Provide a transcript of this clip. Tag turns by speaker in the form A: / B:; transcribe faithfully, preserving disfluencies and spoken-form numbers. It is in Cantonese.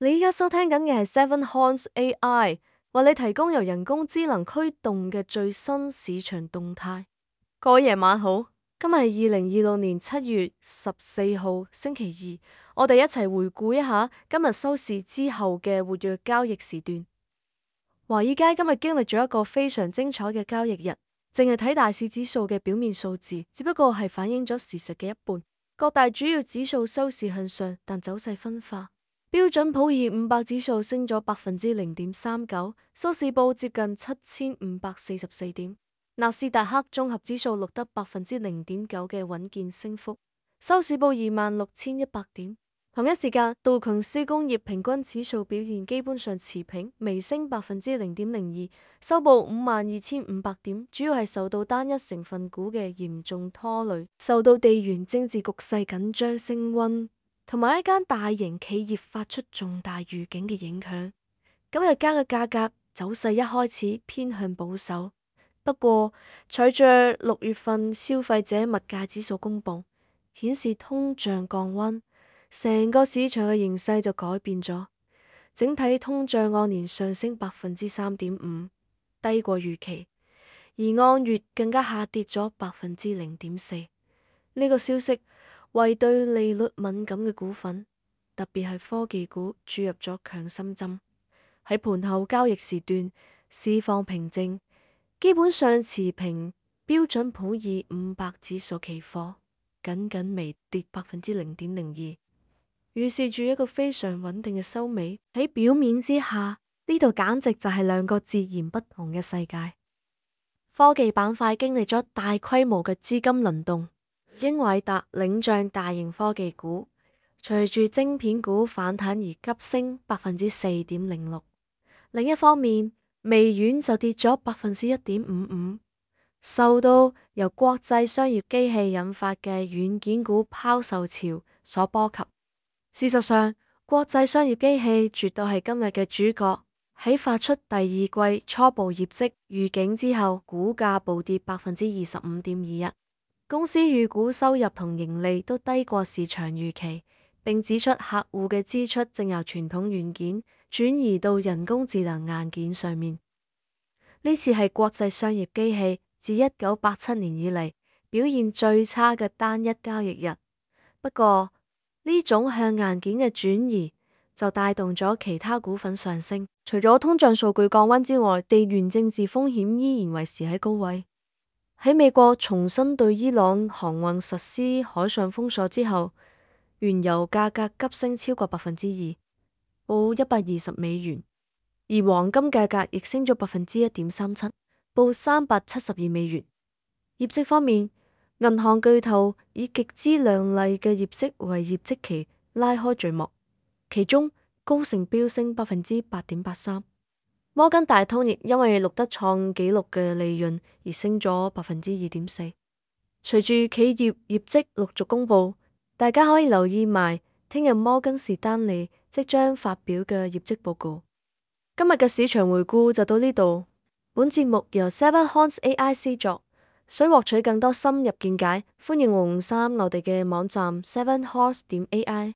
A: 你依家收聽緊嘅係 Seven Horns A I， 為你提供由人工智能驅動嘅最新市場動態。各位夜晚好，今日係二零二六年七月十四號星期二，我哋一齊回顧一下今日收市之後嘅活躍交易時段。華爾街今日經歷咗一個非常精彩嘅交易日，淨係睇大市指數嘅表面數字，只不過係反映咗事實嘅一半。各大主要指數收市向上，但走勢分化。標準普爾五百指數升咗百分之零點三九，收市報接近七千五百四十四點。納斯達克綜合指數錄得百分之零點九嘅穩健升幅，收市報二萬六千一百點。同一時間，道瓊斯工業平均指數表現基本上持平，微升百分之零點零二，收報五萬二千五百點。主要係受到單一成分股嘅嚴重拖累，受到地緣政治局勢緊張升溫，同埋一間大型企業發出重大預警嘅影響。今日間嘅價格走勢一開始偏向保守，不過隨着六月份消費者物價指數公佈，顯示通脹降溫，成個市場嘅形勢就改變咗。整體通脹按年上升百分之三點五，低過預期，而按月更加下跌咗百分之零點四。呢個消息為對利率敏感嘅股份，特別係科技股注入咗強心針。喺盤後交易時段，市況平靜，基本上持平。標準普爾五百指數期貨僅僅微跌百分之零點零二，預示住一個非常穩定嘅收尾。喺表面之下，呢度簡直就係兩個截然不同嘅世界。科技板塊經歷咗大規模嘅資金輪動。英偉達領漲大型科技股，隨住晶片股反彈而急升百分之四點零六。另一方面，微軟就跌咗百分之一點五五，受到由國際商業機器引發嘅軟件股拋售潮所波及。事實上，國際商業機器絕對係今日嘅主角。喺發出第二季初步業績預警之後，股價暴跌百分之二十五點二一。公司預估收入同盈利都低過市場預期，並指出客戶嘅支出正由傳統軟件轉移到人工智能硬件上面。呢次係國際商業機器自一九八七年以嚟表現最差嘅單一交易日。不過呢種向硬件嘅轉移就帶動咗其他股份上升。除咗通脹數據降溫之外，地緣政治風險依然維持喺高位。喺美國重新對伊朗航運實施海上封鎖之後，原油價格急升超過百分之二，報一百二十美元；而黃金價格亦升咗百分之一點三七，報三百七十二美元。業績方面，銀行巨頭以極之亮麗嘅業績為業績期拉開序幕，其中高盛飆升百分之八點八三。摩根大通亦因為錄得創紀錄嘅利潤而升咗百分之二點四。隨住企業業績陸續公布，大家可以留意埋聽日摩根士丹利即將發表嘅業績報告。今日嘅市場回顧就到呢度。本節目由 Seven Horns A I 製作，想獲取更多深入見解，歡迎黃三我哋嘅網站 seven horns 點 A I。